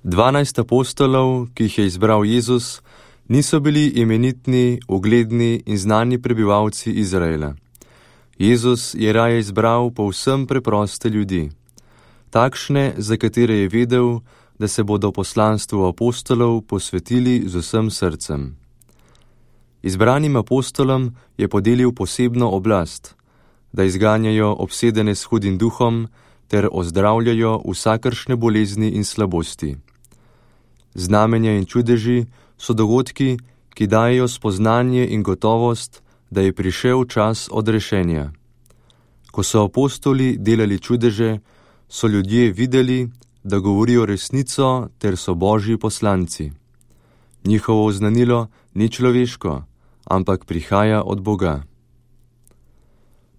12 apostolov, ki jih je izbral Jezus, niso bili imenitni, ugledni in znani prebivalci Izraela. Jezus je raje izbral povsem preproste ljudi, takšne, za katere je vedel, da se bodo poslanstvu apostolov posvetili z vsem srcem. Izbranim apostolom je podelil posebno oblast, da izganjajo obsedene s hudim duhom ter ozdravljajo vsakršne bolezni in slabosti. Znamenja in čudeži so dogodki, ki dajejo spoznanje in gotovost, da je prišel čas odrešenja. Ko so apostoli delali čudeže, so ljudje videli, da govorijo resnico ter so Božji poslanci. Njihovo oznanilo ni človeško, ampak prihaja od Boga.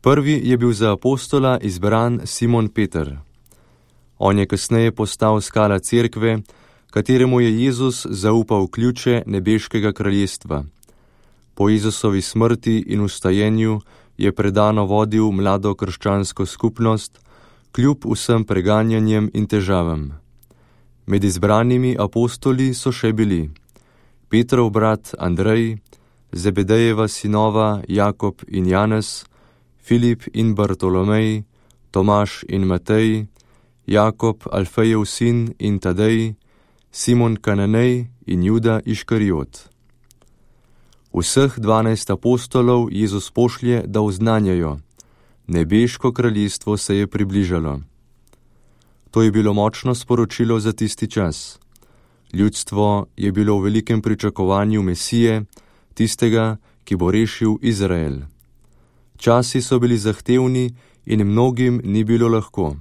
Prvi je bil za apostola izbran Simon Peter. On je kasneje postal skala cerkve, kateremu je Jezus zaupal ključe nebeškega kraljestva. Po Jezusovi smrti in vstajenju je predano vodil mlado krščansko skupnost, kljub vsem preganjanjem in težavam. Med izbranimi apostoli so še bili Petrov brat Andrej, Zebedejeva sinova Jakob in Janez, Filip in Bartolomej, Tomaž in Matej, Jakob Alfejev sin in Tadej, Simon Kananej in Juda Iškariot. Vseh 12 apostolov Jezus pošlje, da oznanjajo: nebeško kraljestvo se je približalo. To je bilo močno sporočilo za tisti čas. Ljudstvo je bilo v velikem pričakovanju Mesije, tistega, ki bo rešil Izrael. Časi so bili zahtevni in mnogim ni bilo lahko.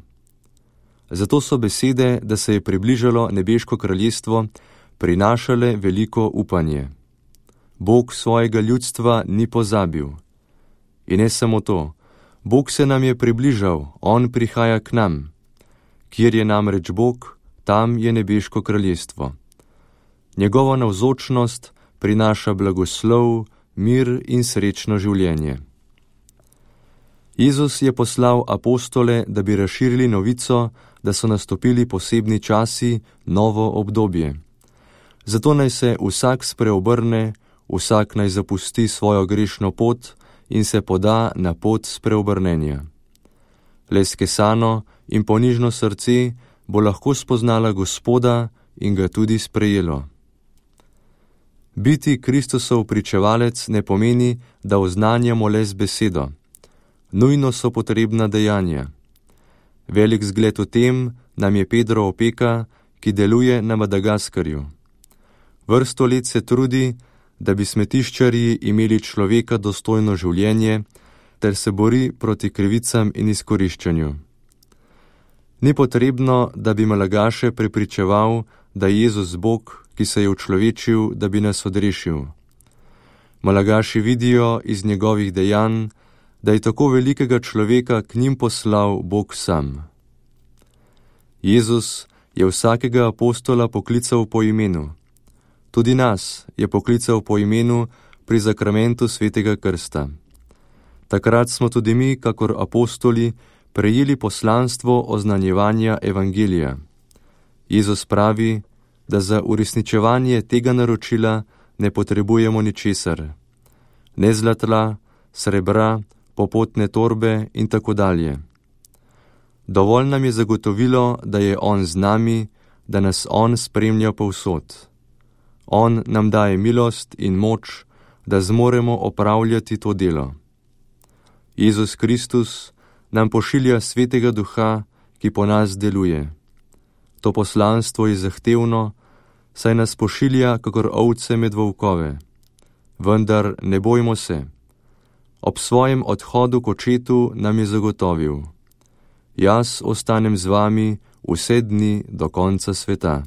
Zato so besede, da se je približalo nebeško kraljestvo, prinašale veliko upanje. Bog svojega ljudstva ni pozabil. In ne samo to, Bog se nam je približal, on prihaja k nam. Kjer je namreč Bog, tam je nebeško kraljestvo. Njegova navzočnost prinaša blagoslov, mir in srečno življenje. Jezus je poslal apostole, da bi razširili novico, da so nastopili posebni časi, novo obdobje. Zato naj se vsak spreobrne, vsak naj zapusti svojo grešno pot in se poda na pot spreobrnenja. Le skesano in ponižno srce bo lahko spoznala Gospoda in ga tudi sprejelo. Biti Kristusov pričevalec ne pomeni, da oznanjamo le z besedo. Nujno so potrebna dejanja. Velik zgled v tem nam je Pedro Opeka, ki deluje na Madagaskarju. Vrsto let se trudi, da bi smetiščarji imeli človeka dostojno življenje, ter se bori proti krivicam in izkoriščanju. Ni potrebno, da bi Malagaše prepričeval, da je Jezus Bog, ki se je učlovečil, da bi nas odrešil. Malagaši vidijo iz njegovih dejanj, da je tako velikega človeka k njim poslal Bog sam. Jezus je vsakega apostola poklical po imenu. Tudi nas je poklical po imenu pri zakramentu svetega krsta. Takrat smo tudi mi, kakor apostoli, prejeli poslanstvo oznanjevanja evangelija. Jezus pravi, da za uresničevanje tega naročila ne potrebujemo ničesar. Ne zlata, srebra, popotne torbe in tako dalje. Dovolj nam je zagotovilo, da je On z nami, da nas On spremlja povsod. On nam daje milost in moč, da zmoremo opravljati to delo. Jezus Kristus nam pošilja Svetega Duha, ki po nas deluje. To poslanstvo je zahtevno, saj nas pošilja kakor ovce med volkove. Vendar ne bojmo se. Ob svojem odhodu k Očetu nam je zagotovil: jaz ostanem z vami vse dni do konca sveta.